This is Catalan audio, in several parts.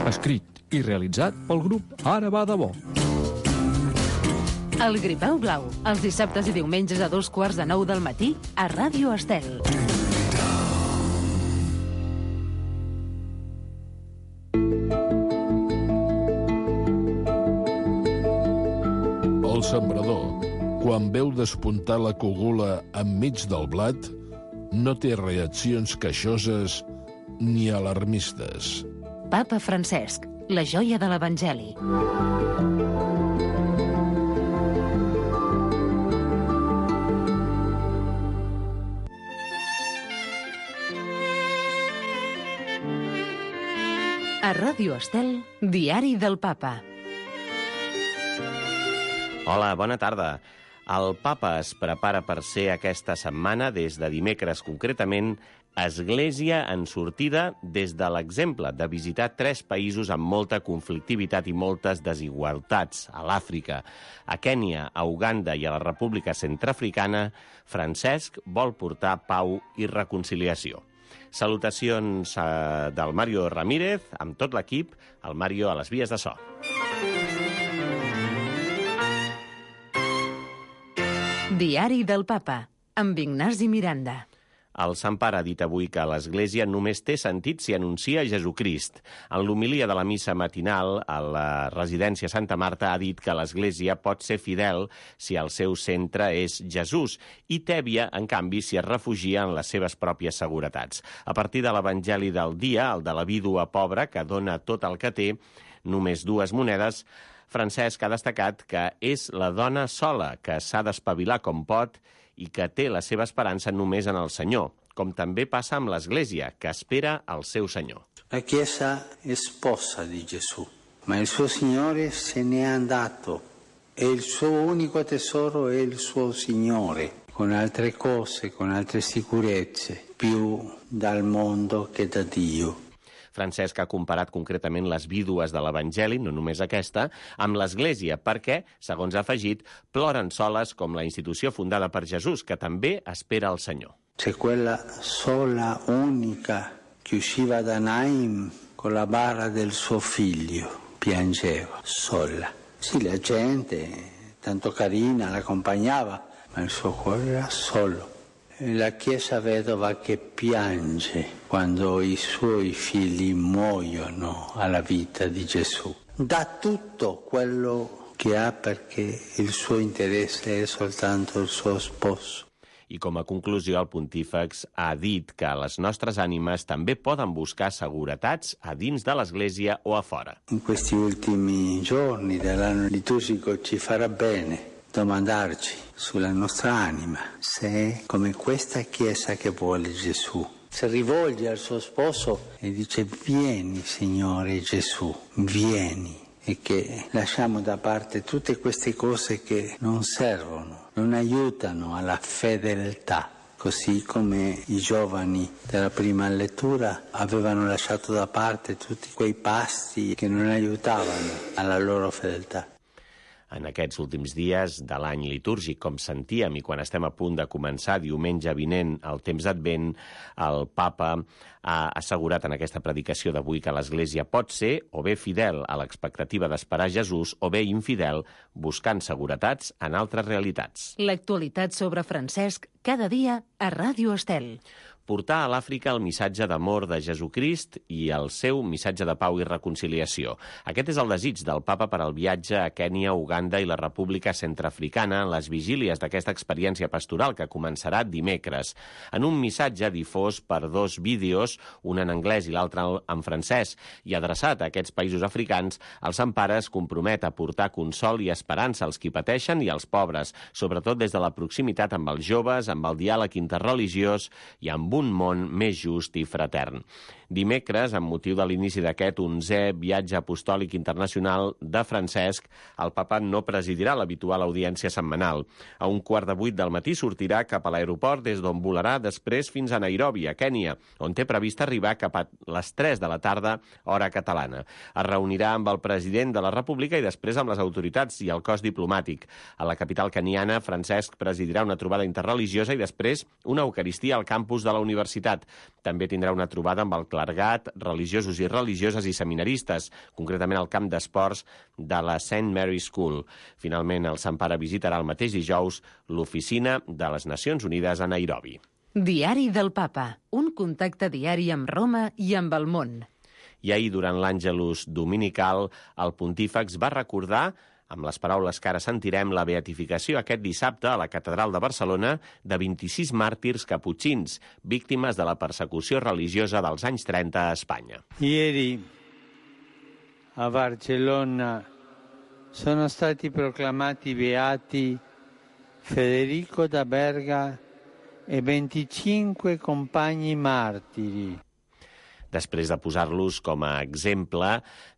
Escrit i realitzat pel grup Ara va de bo. El Gripeu Blau, els dissabtes i diumenges a 2:15 del matí a Ràdio Estel. El sembrador, quan veu despuntar la cogula enmig del blat, no té reaccions queixoses ni alarmistes. Papa Francesc, la joia de l'Evangeli. A Ràdio Estel, Diari del Papa. Hola, bona tarda. El Papa es prepara per ser aquesta setmana, des de dimecres concretament, Església en sortida des de l'exemple de visitar 3 països amb molta conflictivitat i moltes desigualtats. A l'Àfrica, a Kènia, a Uganda i a la República Centreafricana, Francesc vol portar pau i reconciliació. Salutacions del Mario Ramírez, amb tot l'equip, el Mario a les vies de so. Diari del Papa, amb Ignasi Miranda. El Sant Pare ha dit avui que l'Església només té sentit si anuncia Jesucrist. En l'homilia de la missa matinal a la residència Santa Marta ha dit que l'Església pot ser fidel si el seu centre és Jesús i tèbia, en canvi, si es refugia en les seves pròpies seguretats. A partir de l'Evangeli del dia, el de la vídua pobra que dona tot el que té, només 2 monedes, Francesc ha destacat que és la dona sola que s'ha d'espavilar com pot i que té la seva esperança només en el Senyor, com també passa amb l'Església, que espera el seu Senyor. La Chiesa è sposa di Gesù, ma il suo Signore se ne è andato e il suo unico tesoro è il suo Signore, con altre cose, con altre sicurezze, più dal mondo che da Dio. Francesc ha comparat concretament les vídues de l'Evangeli, no només aquesta, amb l'Església, perquè, segons ha afegit, ploren soles com la institució fundada per Jesús, que també espera el Senyor. C'è quella sola, unica, che usciva da Naim con la bara del suo figlio, piangeva, sola. Sì, la gente, tanto carina, l'accompagnava, ma il suo cuore era solo. La Chiesa vedova che piange quando i suoi figli muoiono alla vita di Gesù. Dà tutto quello che ha perché il suo interesse è soltanto il suo sposo. I com a conclusió, el pontífex ha dit que les nostres ànimes també poden buscar seguretats a dins de l'Església o a fora. In questi ultimi giorni dell'anno liturgico ci farà bene domandarci sulla nostra anima se è come questa Chiesa che vuole Gesù. Si rivolge al suo sposo e dice: vieni Signore Gesù, vieni, e che lasciamo da parte tutte queste cose che non servono, non aiutano alla fedeltà, così come i giovani della prima lettura avevano lasciato da parte tutti quei pasti che non aiutavano alla loro fedeltà. En aquests últims dies de l'any litúrgic, com sentíem, i quan estem a punt de començar diumenge vinent el temps d'Advent, el Papa ha assegurat en aquesta predicació d'avui que l'Església pot ser o bé fidel a l'expectativa d'esperar Jesús o bé infidel buscant seguretats en altres realitats. L'actualitat sobre Francesc cada dia a Ràdio Estel. Portar a l'Àfrica el missatge d'amor de Jesucrist i el seu missatge de pau i reconciliació. Aquest és el desig del Papa per al viatge a Kènia, Uganda i la República Centreafricana en les vigílies d'aquesta experiència pastoral que començarà dimecres. En un missatge difós per 2 vídeos, un en anglès i l'altre en francès, i adreçat a aquests països africans, el Sant Pare es compromet a portar consol i esperança als qui pateixen i als pobres, sobretot des de la proximitat amb els joves, amb el diàleg interreligiós i amb un món més just i fratern. Dimecres, amb motiu de l'inici d'aquest 11è viatge apostòlic internacional de Francesc, el Papa no presidirà l'habitual audiència setmanal. A 7:15 del matí sortirà cap a l'aeroport, des d'on volarà després fins a Nairobi, a Kènia, on té previst arribar cap a les 3 de la tarda, hora catalana. Es reunirà amb el president de la República i després amb les autoritats i el cos diplomàtic. A la capital keniana, Francesc presidirà una trobada interreligiosa i després una eucaristia al campus de la universitat. També tindrà una trobada amb el clergat, religiosos i religioses i seminaristes, concretament al camp d'esports de la St. Mary School. Finalment, el Sant Pare visitarà el mateix dijous l'oficina de les Nacions Unides a Nairobi. Diari del Papa, un contacte diari amb Roma i amb el món. I ahir, durant l'Àngelus dominical, el pontífex va recordar, amb les paraules que ara sentirem, la beatificació aquest dissabte a la Catedral de Barcelona de 26 màrtirs caputxins, víctimes de la persecució religiosa dels anys 30 a Espanya. Ieri a Barcellona sono stati proclamati beati Federico da Berga e 25 compagni martiri. Després de posar-los com a exemple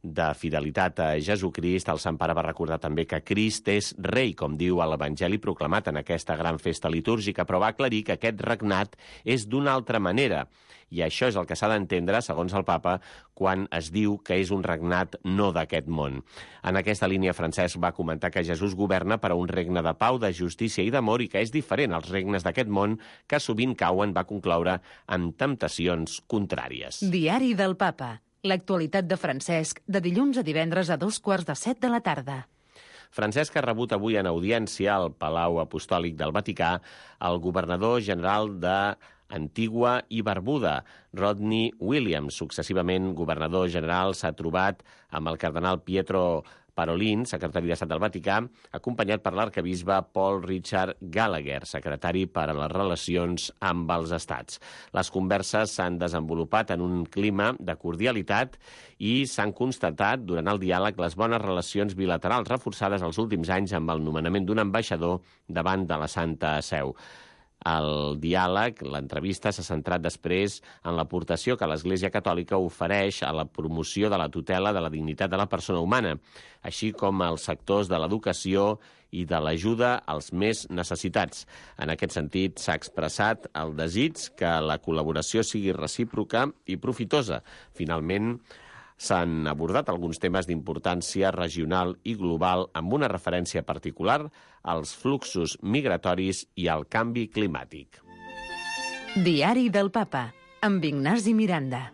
de fidelitat a Jesucrist, el Sant Pare va recordar també que Crist és rei, com diu a l'Evangeli proclamat en aquesta gran festa litúrgica, però va aclarir que aquest regnat és d'una altra manera. I això és el que s'ha d'entendre, segons el Papa, quan es diu que és un regnat no d'aquest món. En aquesta línia, Francesc va comentar que Jesús governa per a un regne de pau, de justícia i d'amor i que és diferent als regnes d'aquest món que sovint cauen, va concloure, en temptacions contràries. Diari del Papa. L'actualitat de Francesc, de dilluns a divendres a 6:45 de la tarda. Francesc ha rebut avui en audiència al Palau Apostòlic del Vaticà el governador general de Antigua i Barbuda, Rodney Williams. Successivament, governador general s'ha trobat amb el cardenal Pietro Parolin, secretari d'Estat del Vaticà, acompanyat per l'arcabisbe Paul Richard Gallagher, secretari per a les relacions amb els estats. Les converses s'han desenvolupat en un clima de cordialitat i s'han constatat durant el diàleg les bones relacions bilaterals reforçades els últims anys amb el nomenament d'un ambaixador davant de la Santa Seu. El diàleg, l'entrevista, s'ha centrat després en l'aportació que l'Església Catòlica ofereix a la promoció de la tutela de la dignitat de la persona humana, així com als sectors de l'educació i de l'ajuda als més necessitats. En aquest sentit, s'ha expressat el desig que la col·laboració sigui recíproca i profitosa. Finalment, s'han abordat alguns temes d'importància regional i global amb una referència particular als fluxos migratoris i al canvi climàtic. Diari del Papa, amb Ignasi Miranda.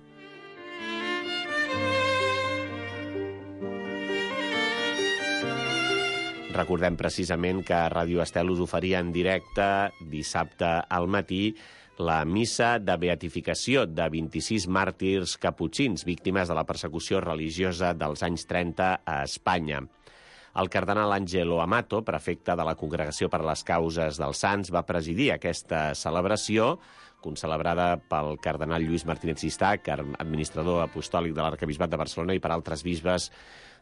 Recordem precisament que Ràdio Estel us oferia en directe dissabte al matí la missa de beatificació de 26 màrtirs caputxins, víctimes de la persecució religiosa dels anys 30 a Espanya. El cardenal Angelo Amato, prefecte de la Congregació per a les Causes dels Sants, va presidir aquesta celebració, concelebrada pel cardenal Lluís Martínez Sistac, administrador apostòlic de l'Arquebisbat de Barcelona, i per altres bisbes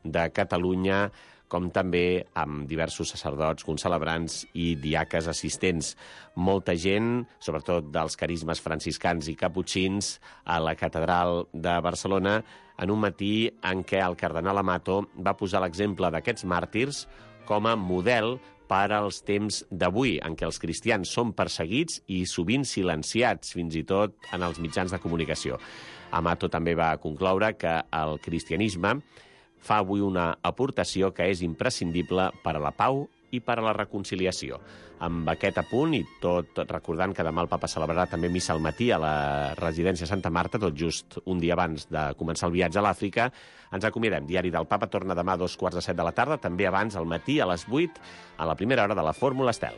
de Catalunya, com també amb diversos sacerdots, concelebrants i diaques assistents. Molta gent, sobretot dels carismes franciscans i caputxins, a la catedral de Barcelona, en un matí en què el cardenal Amato va posar l'exemple d'aquests màrtirs com a model per als temps d'avui, en què els cristians són perseguits i sovint silenciats, fins i tot en els mitjans de comunicació. Amato també va concloure que el cristianisme fa avui una aportació que és imprescindible per a la pau i per a la reconciliació. Amb aquest apunt, i tot recordant que demà el Papa celebrarà també missa al matí a la residència Santa Marta, tot just un dia abans de començar el viatge a l'Àfrica, ens acomiadem. Diari del Papa torna demà a 6:45 de la tarda, també abans al matí a les 8, a la primera hora de la Fórmula Estel.